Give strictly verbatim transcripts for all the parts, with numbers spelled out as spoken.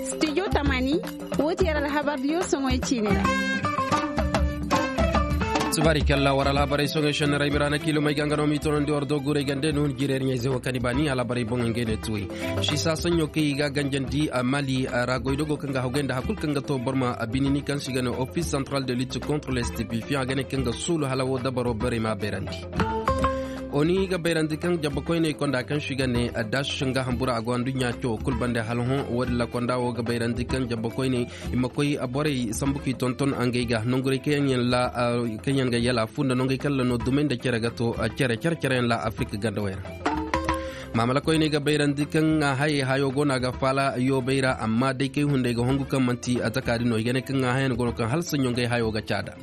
Studio tamani, woo ti yer alhabar diyo soŋoy ciini ra. Tubaari kalla war alhabarey soŋoy šenni ra ay miraana kiilomey ga nga no m'i tonandi war dooguurey gande no hun jireer ɲayze wo kaŋ i baani alhabarey boŋey ngey ne tuwey. Siisa saɲɲo kaŋ i ga ganjandi a mali ra goy dogo kaŋ ga haggoy nda hakul kaŋ ga to boro ma a binini kaŋ se i ga ne office central de lutte contre les stupéfiants a ga ne kaŋ ga suulu hala woo dabaro borey m'a bayrandi. Oni ga bayrandi kaŋ jabba koyney konda kaŋ se i ga ne dash nga hambura a go anduɲɲa cawo kul bande hala hõ. Woodin ra konda wo ga bayrandi kaŋ jabba koyney i ma koy borey sambu k'i tonton ngey ga nongurey kaŋ yaŋ ga yala fu nda nongey kaŋ ra no dumey nda cere ga to cere cere cere yaŋ ra afirika gandawey ra. Maamala koyney ga bayrandi kaŋ hayey hayo go no a ga faala yoobey ra amma day kay hunday ga hongu kaŋ manti a taka din no i ga ne kaŋ hayan go no kaŋ hala saɲɲo ngey hayo ga caada.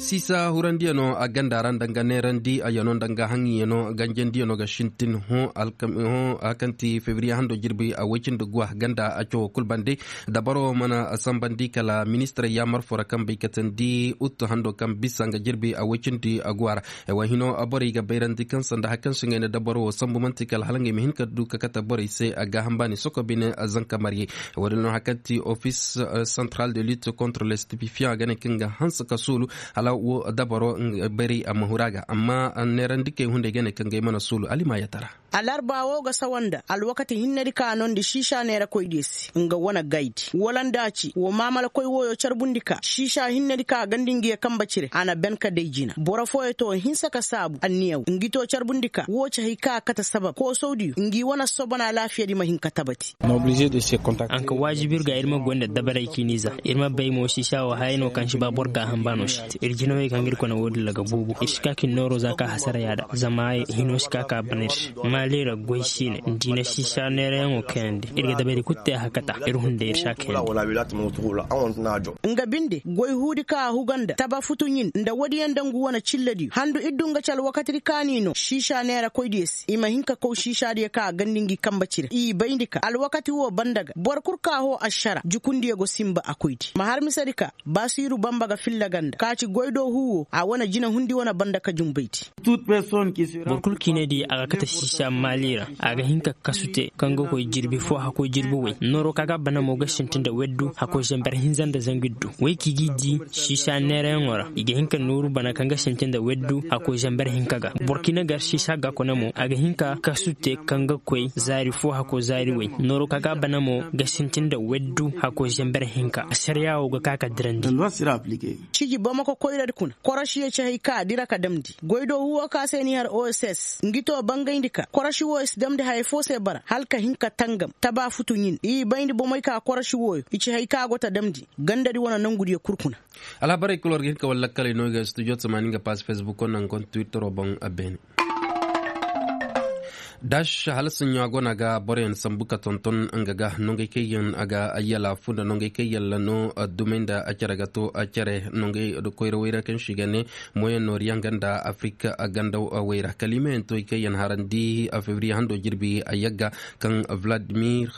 Siisa hurandiyano a ganda ra nda nga neerandi a yano nda nga haŋiyano ganjandiyano ga sintin hõ. Hõ a kaŋ ti febriye hando jirbi a woy cindi guwa ganda a cawo kul bande dabaro mana sambandi kala ministirey yaamar fo ra kaŋ bay katandi uttu hando kaŋ bisa nga jirbi a woy cindi guwa ra. Ay wa hino borey ga bayrandi kaŋ sanda hari kaŋ se ngey na dabaro wo sambu man'ti kala hala ngey ma hin ka du ka kate borey se a gaaham baani soko bine zanka marye. Woodin no hari kaŋ ti office central de lutte contre les stupéfiants a ga ne kaŋ ga hanse ka suulu hala wo dabaro bari a ma huru a ga amma neerandikey hunday ga ne kaŋ ga ay mana suulu alima ya tara. Alarba wo ga sawa nda alwakati hinnedi ka a nondi siisa neerakoydiyo se nga wane gaydi wala nda a ci wo maamalakoy woyo carbundi ka siisa hinnedi ka a gandi ngi ye kambe cire a na ben ka day jina boro fooyo to hinsa ka saabu anniya wo ngi to carbundi ka wo ci hay ka a kate sabab koosawdiyo ngi wane sobon alaafiyadi ma hin ka tabati. A na ka waajibi ir ga ir ma goy nda dabarey ciini za ir ma bay mo siisa wo hayey no kaŋ si ba boro gaaham ba no si te ir jinawey kaŋ ga ir kone woodin ra ga buubu ir si ka ka ir nooro za ka hasara yaada zama hino si ka ka a bana ir se. Maali ra goy siine nda i na siisa neerayaŋo kayandi ir ga dabari kulu te a hakata ir hunday ir si a kayandi. Nga binde goy huudi ka a huga nda taba futu ɲin nda woodiyaŋ nda ngu wane cillediyo handu ir du nga ci alwakatidi ka n'i no siisa neerakoydiyo se i ma hin ka kaw siisaadiyo ka a gandi ngi kambe cire i bayndi ka alwakati wo banda ga boro kul ka hoo ašara jukundiyo go sinba a koydi ma har misedi ka baasiiru bamba ga filla ganda ka ci goydoo huu wo a wane jinahundi wane banda ka jumbaydi. Boro kulu ciinay di a ga kate siisa maali ra a ga hin ka kasu te kaŋ ga koy jirbi fo hakkoy jirbi way nooro ka ga bana mo ga sintin nda weddu hakkoy zamber hinza nda zangu iddu way ka i g'i di siisa neerayaŋo ra i ga hin ka nooru bana kaŋ ga sintin nda weddu hakkoy zamber hinka ga burkina gar siisa ga kone mo a ga hin ka kasu te kaŋ ga koy zaari fo hakkoy zaari way nooro ka ga bana mo ga sintin nda weddu hakkoy zamber hinka asariya wo ga ka ka dirandi. Ciji bamako koyradi kuna korosiyo ci hay ka a dira ka damndi goydoo huwo ka se n'i har oss ngi to bangayndi ka korosi wooyo si damndi haya foo se bara hala ka hin ka tangam taba futu ɲin i bayndi bomey ka korosi wooyo i ci hay ka a go ta damndi gandadi wane nongudiyo kul kuna. Alhabarey kul war ga hin ka wala lakkaley no i ga studio tamaani nga pass facebook wo nda nga konta twittero boŋ a beene. Dash hala saɲɲo a go no a ga boroyaŋ sambu ka tonton nga ga nongey kaŋ yaŋ a ga yala fu nda nongey kaŋ yaŋ ra no dumey nda cere ga to cere nongey koyra wayra kaŋ se i ga ne moyen orient nga nda afirika ganda wayra kala i ma yaŋ toy kaŋ yaŋ harandi febriye hando jirbi a yagga kaŋ vladimir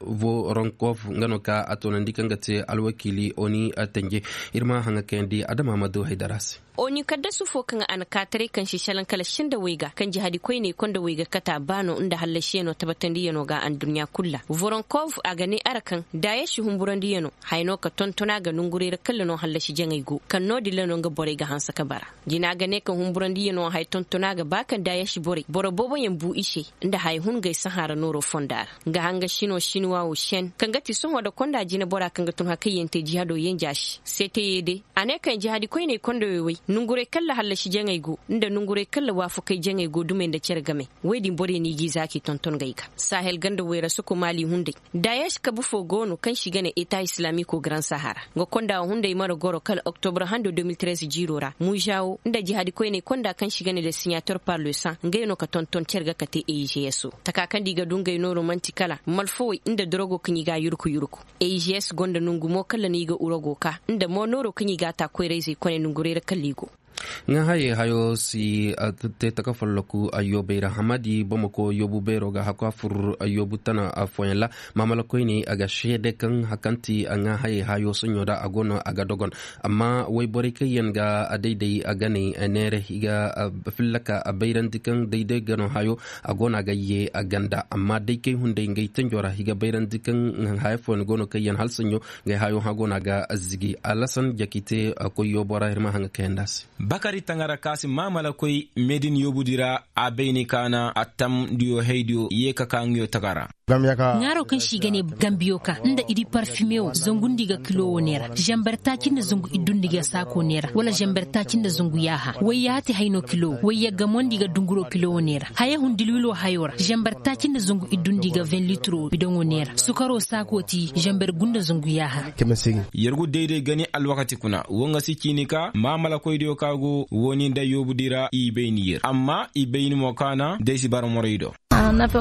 voronkov nga no ka a toonandi kaŋ ga te alwakiili oni tenje. Ir ma haŋa kayandi adama ma du haydara se. Oni kaddasu fo kaŋ a na kaataray kaŋ se salaŋ kala senda wayga kaŋ jihadi koyney konda wayga kata baano nda hallasiyano tabatandiyano ga anduɲɲa kul ra voronkov a ga ne ara kaŋ daayasi humburandiyano haya no ka tonton a ga nonguray ra kalla no hallasi jaŋay go kaŋ no-din ra no nga borey ga hanse ka bara. Jina ga ne kaŋ humburandiyano haya tonton a ga ba kaŋ daayasi borey boro booboyaŋ bu i se nda haya hun gay sahã ra nooro fonda ra. Nga hanga sino sinuwa wo sen kaŋ ga ti sohõ nda konda jinebora kaŋ ga tun hari kaŋ yaŋ te jihado yenja se seeteyey day. A ne kaŋ jihadi koyney kondowey way nonguray kalla hallasi jaŋey go nda nonguray kalla waafakey jaŋey go dumey nda cere game. Woy din borey no i g'i za k'i tonton ngey ga sahel ganda woy ra soko maali hunday. Daayas kabu fo go no kaŋ se i ga ne eta islamiko garan sahara nga konda hunday mana goro kala oktobra hando deux mille treize jiiro ra mužawo nda jihadi koyney konda kaŋ se i ga ne le siɲator par le san ngey no ka tonton cere ga kate eigs wo taka kaŋ da i ga du ngey nooro man'ti kala malfawey nda dorogo kaŋ i g'a yurku yurku. Eigs gonda nongu mo kala no i ga urogo ka nda mo nooro kaŋ i g'a ta koyrayzey kone nonguray ra kala i go. Ŋaahaye hayo si te taka folloku ayyoobey ra hamadi bamako yoobu beero ga hakku a fur ayyoobu tana fooyaŋ ra. Maamala koyne a ga seede kaŋ hakanti ŋaahaye hayo soɲo ra a go no a ga dogon. Amma woy borey kaŋ yaŋ ga a dayday a ganey neere i ga fillaka a bayrandi kaŋ dayday gano hayo a go no a ga ye a ganda amma day kay hunday ngey tenjo ra i ga bayrandi kaŋ haya fooyaŋ go no kaŋ yaŋ hala soɲo. Ngey hayo hã go no a ga zigi alasan jakite koy yoobo ra ir ma haŋ ga kayandi a se. Bakari tangara ka si maamala koy meedin yoobudi ra a bayni kaana attam diyo haydiyo ye ka ka ŋiyo taga ra. Ŋaaro kaŋ se i ga ne gambiyo ka nda idi parfime wo zangundi ga kilo wo neera zambar taaci nda zangu iddundi ga saako neera wala zambar taaci nda zangu yaaha wayyaati hayno kilo wo wayya gamondi ga dunguro kilo wo neera haya hun dilwilo hayo ra zambar taaci nda zangu iddundi ga vin litiro bidoŋo neera sukaro saako ti zambar gunda zangu yaaha. Yer gu dayday gani alwakati kuna wo nga si ciini ka maamalakoydiyo ka go wooni nda yoobudi ra i bayni yer amma i bayni mo kaana day si bara moray do.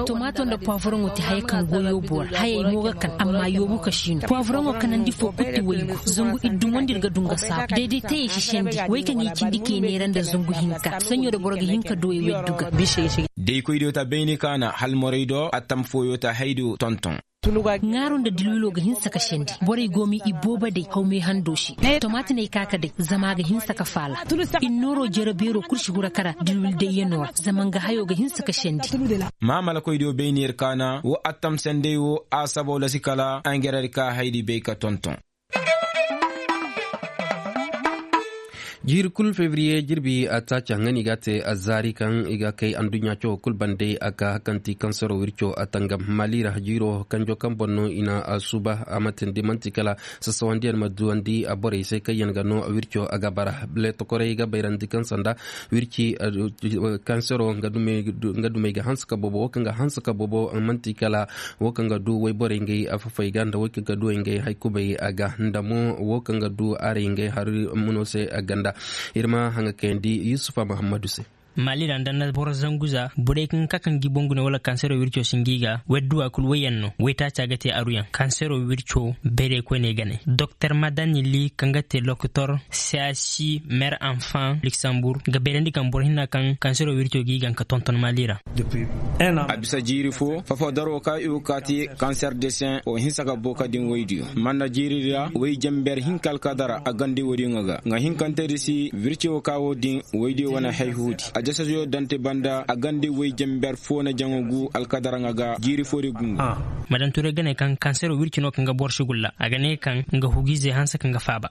Tomaato nda puwavoroŋo ti haya kaŋ go yoobo ra hayey mo ga kan amma yoobu ka siino puwavoroŋo kanandi fo kul ti waygu zangu iddumondi ir ga du nga saabu dayday tayey si sendi way kaŋ i cindi kay neera nda zangu hinka saɲo da boro ga hin ka du way weddu ga. Daykoydiyo ta bayni kaana hal moray do attam fooyo ta haydiyo tonton. Ŋaaro nda dilwilo ga hinsa ka sendi borey go ma i boobo day haw meehando se. Tomaatiney ka ka day zama a ga hinsa ka faala. Innooro jere beero kul si hura kara dilwil dayyanoo ra zama nga hayo ga hinsa ka sendi. Maamalakoydiyo bayni yer kaana wo attam sendey wo a sabaw lasi kala angerer ka haydi bay ka tonton. Jiiri kul febriye jirbi a taaci haŋ no i ga a te a zaari kaŋ i ga kay adduɲɲa cawo kul bande a ka hakanti kansero wirco a tangam maali ra jiiro kanjo kaŋ boŋ no i na a suuba a ma tindi man'ti kala sassawandiyaŋ ma duwandi a borey se kaŋ yaŋ ga no wirco a ga bara. Leetokoray ga bayrandi kaŋ sanda wirci kansero nga dumey ga hanse ka boobo wo kaŋ ga hanse ka boobo man'ti kala wo kaŋ ga du wayborey ngey afafey ga nda way kaŋ ga du ngey hay kubay a ga nda mo wo kaŋ ga du arey ngey hari muno se a ganda. Ir ma haŋa kayandi yusufa muhammadu se. Maali ra nda na boro zangu za borey kaŋ ga ka kaŋ gi boŋ gune wala kansero wirco si ngi ga wadduwa kul wayyaŋ no waytaaca ga te aruyaŋ kansero wirco bayray koyney ganey doktor madani li kaŋ ga te lokotor siyasi mer anfan luksambur ga bayrandi kaŋ boro hinna kaŋ kansero wirco gi gaŋ ka tonton maali ra. A bisa jiiri fo fafo daro ka i go kaati kanser de sen o hinsa ka booka din waydiyo man na jiiri ra way jamber hinka alkadara a gandi wodiŋo ga nga hinkante di si wirci wo ka wo din waydiyo wane hayhuudi a jasasiyo dante banda a gandi way jamber fo na jaŋo gu alkadara ŋa ga jiiri fo di gungu. Madam ture ga ne kaŋ kansero wirci no kaŋ ga boro si gulla a ga ne kaŋ nga hugiizey hanse kaŋ ga faaba.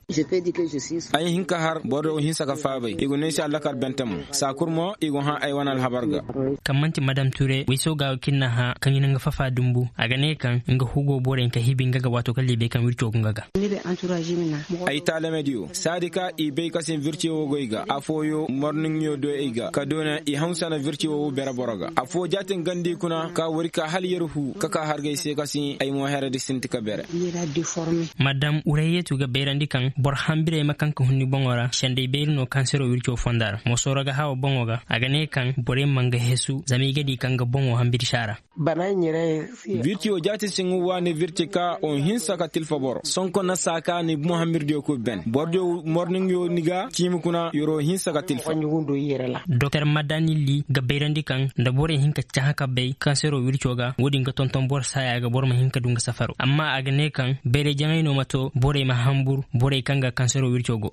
Ay hin ka har boro wo hinsa ka faabay i go no ay se allakar bente mo saa kul mo i go hã ay wane alhabar ga. Kaŋ man'ti madam ture way sooga wo kaŋ i na hã kaŋ i na nga fafa dumbu a ga ne kaŋ nga hugo borey ka hibi nga ga waato kala i bay kaŋ wirco go nga ga. Ay taalamediyo saadi ka i bay ka sin virciyo wo goy ga afooyo morniŋyo do ay ga ka doona i haw sana virciyo wo bere boro ga afoo jaatin gandi kuna ka wari ka hala yer huu ka ka hargay se ka sin ay mo heredi sinti ka bere. Madam urayyetu ga bayrandi kaŋ boro hambirey ma kaŋ ka hun ni boŋo ra sendey bayri no kansero wirco fonda ra mosooro ga hawa boŋo ga a ga ne kaŋ borey ma nga hesu zama i ga di kaŋ ga boŋo hambiri saara. Virti wo jaati siŋ waani virti ka o hinsa ka tilfa boro sonko na saa ka ni boŋ hambiridiyo kul ben borodiyo morniŋyo ni ga ciimi kuna yoro hinsa ka tilfa. Doktor madani li ga bayrandi kaŋ nda borey hin ka cahã ka bay kansero wirco ga wo-din ga tonton boro saaya ga boro ma hin ka du nga safaro amma a ga ne kaŋ bayray jaŋay no ma to borey ma hambur borey kaŋ ga kansero wirco go.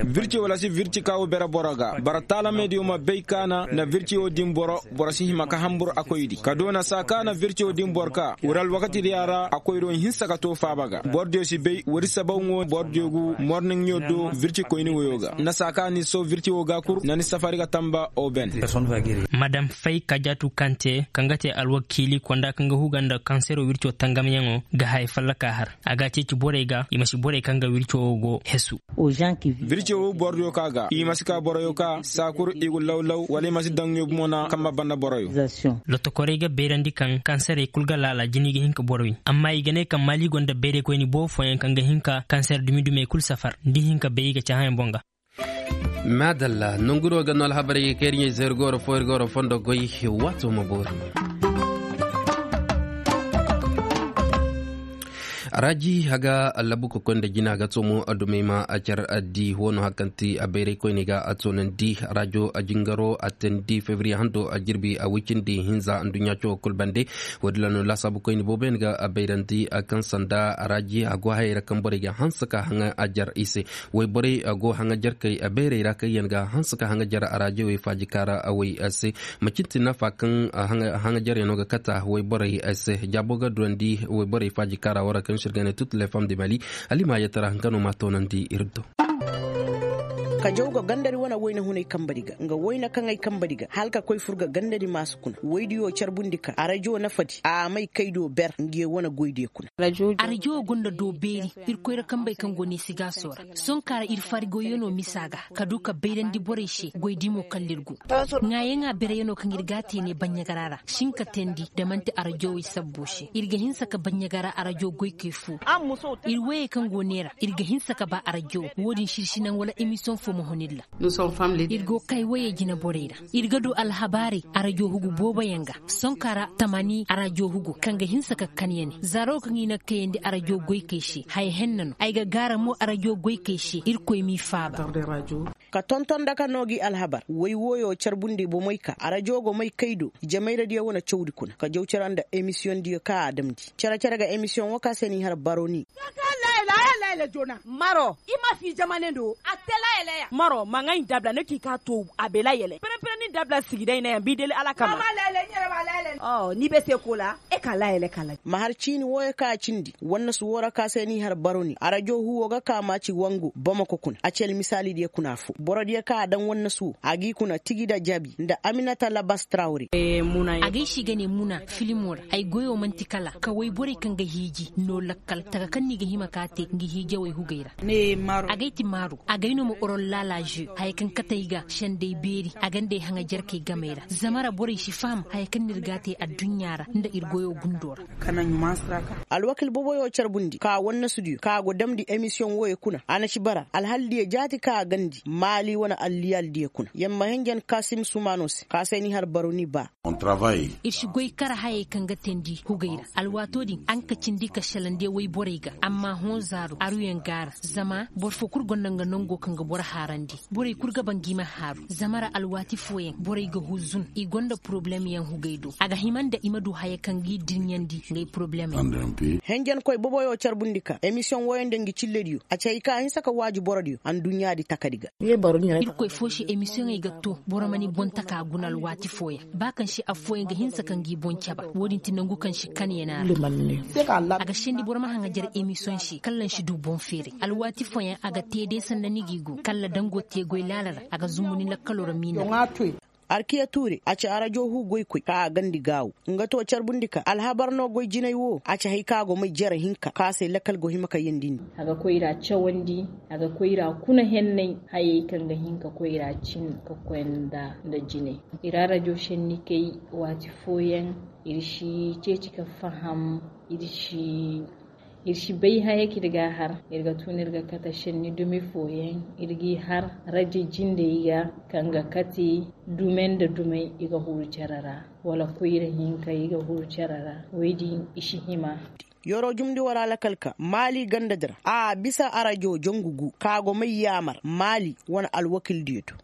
Virti wala si virti ka wo bere boro ga bara taalamediyo ma bay kaana nda virti wo din boro boro si hima ka hambur a koydi ka doona saa ka na virti wo din boro ka wura alwakatidiya ra a koydo hinsa ka to faaba ga borodiyo si bay wari sabaw ŋo borodiyo gu morniŋyo do virti koyni woyo ga nda saa ka ni so virti wo ga kul nda ni safari ga tamba oben. Madam fay kajatu kante kaŋ ga te alwakiili konda kaŋ ga huga nda kansero wirco tangamyaŋo ga haya fallaka har a ga ceeci borey ga i ma si borey kaŋ ga wirco wo go hesu. Virco wo borodiyo ka ga i ma si ka boroyo ka saa kul i gu lawlaw wala i ma si daŋ ɲoobu mo na kamba banda boroyo. Lotokorey ga bayrandi kaŋ kanserey kul ga laala jini ga hin ka boro wi amma i ga ne kaŋ maali gonda bayraykoyni boobo fooyaŋ kaŋ ga hin ka kanser dumi dumey kul safar nda i hin ka bay i ga cahãyaŋ boŋ ga. Maadalla nonguro ga no alhabarey ga kay ir ɲey zergoro fo ir goro fondo goy waato ma boori. Raaji haga labu ka koy nda jina ga toomo dumey ma a car addi wano hakanti a bayray koyney ga a toonandi raajo a jingaro a teendi febriye hando a jirbi a woy cindi hinza nduɲɲa cawoo kul bande. Woodin ra no laasaabu koyne booboyaŋ ga a bayrandi kaŋ sanda raaji a go hayey ra kaŋ borey ga hanse ka haŋa a jar i se. Woy borey go haŋa jarkey a bayrey ra kaŋ yaŋ ga hanse ka haŋa jar a raajo woy faaji kaara a woy se. Macin ti nafa kaŋ haŋajaryaŋo ga kata wayborey se jaabo ga durandi wayborey faaji kaara wara kaŋ se ir ga ne tut le fam de mali. Alima yatara nga no ma toonandi ir do. Kajaw ga gandari wane wayna hunay kambari ga nga wayna kaŋ ay kambari ga hala ka koy fur ga gandari maasu kuna waydiyo carbundi ka arajo nafadi a may kaydo ber ngiyo wane goydiyo kuna. Arajo gonda do beeri. Irkoy ra kambey kaŋ go ne sigaaso ra sonka ra ir fari goyyo no misa ga ka du ka bayrandi borey se goy dimo kalla ir go. Ŋaayaŋa bereyaŋo kaŋ ir ga a te ne baɲɲagara ra si hin ka teendi da man'ti arajo wey sabbo se ir ga hinsa ka baɲɲagara arajo goykey fo. Ir woyey kaŋ go neera ir ga hinsa ka ba arajo wo-din sirsi naŋ wala emisiyoŋ fo ma hun ir ra. Ir go kay woyey jinaborey ra. Ir ga du alhabaarey arajo hugu booboyaŋ ga sonka ra tamani arajo hugu kaŋ ga hinsa ka kan ya ne zaaro kaŋ i na kayandi arajo goykey se haya henna no ay ga gaara mo arajo goykey se irkoy m'i faaba. Ka tonton daka no gi alhabar woy wooyo carbundi bomey ka arajo go may kay do jamayradiyo wane cawdi kuna ka jaw cere nda emisiyoŋdiyo kaŋ a damndi cere-cere ga emisiyoŋ wo ka se n'i har baroni. Maro i ma fi jamane do a te layeleya maro ma ŋay ndabla ni k'i ka to a be layele pere-pere ni ndabla sigi day na ya bi deli alakama. Ni be se ko la e ka layele kala. Ma har ciini wooyo ka a cindi wannasu woo ra ka se n'i har baroni arajo huwo ga ka maaci wangu bamako kuna a ci almisaalidiyo kuna fo borodiyo ka a daŋ wannasu woo a g'i kuna tigi da jabi nda aminata labas trawre. A gay si ga ne muna filimo ra ay goyo man'ti kala ka woy borey kaŋ ga hiiji no lakkal taka kaŋ no i ga hima ka te nga hiijawey hugey ra. Agay ti maaru agay no ma orollaala je haya kaŋ katey ga sendey beeri a gandey haŋa jarkey gamey ra zama ra borey si faham haya kaŋ no ir ga a te adduɲɲa ra nda ir goyo gundo ra. Alwakil boboyo carbundi ka wannasudiyo ka go damndi emisiyoŋ wooyo kuna a na ci bara alhaldiyo jaati ka a gandi maali wane alliyaaldiyo kuna yamma henjen kasim sumaano se ka se ni har baroni ba. Ir si goy kar hayey kaŋ ga teendi hugey ra alwaatoo din a nga ka cindi ka shalande woy borey ga amma hõ zaaro aruyaŋ ga a ra zama boro foo kul gonda nga nongo kaŋ ga boro haarandi borey kul ga ba ngi ma haaru zama ra alwaati fooyaŋ borey ga huzun i gonda porobulemyaŋ hugey do a ga hima nda i ma du haya kaŋ g'i dirɲandi ngey porobulemey. Henjenkoy boboyo carbundi ka emisiyoŋ wooyaŋ nda ngi cillediyo a ci hay ka a hinsa ka waaji borodiyo anduɲɲaadi takadi ga. Irkoy foo se emisiyoŋey ga to boro ma ni boŋ taka guna alwaati fooyaŋ ba kaŋ se affooyaŋ ga hinsa ka ngi boŋ caba wo-din ti nangu kaŋ se kan ya ne a ra. A ga sendi boro ma haŋajar emisiyoŋ se kalla ni si du boŋ feeray alwaati fooyaŋ a ga te day sanda ni g'i go kalla dango te goy laala ra a ga zumbu ni lakkaloo ra miina. Arkiya tuure a ci arajo hu goykoy ka a gandi gaawo nga to carbundi ka alhabar no goy jinay wo a ci hay ka a go may jere hinka ka se lakkal go hima ka yendindi. A ga koyra cawandi a ga koyra kuna hennay hayey kaŋ ga hin ka koyra cin ka koy nda jinay. Ir arajo senni kay waati fooyaŋ ir si ceeci ka faham ir si ir si bay haya kaŋ ir ga a har ir ga tun ir ga kate senni dumi fooyaŋ ir g'i har rajo jindey ga kaŋ ga kate dume nda dumey i ga huru cere ra wala koyra hinka i ga huru cere ra woy din i si hima. Yoro jumndi wara lakal ka maali ganda dira a bisa arajo jangu gu ka go may yaamar maali wane alwakildiyo do.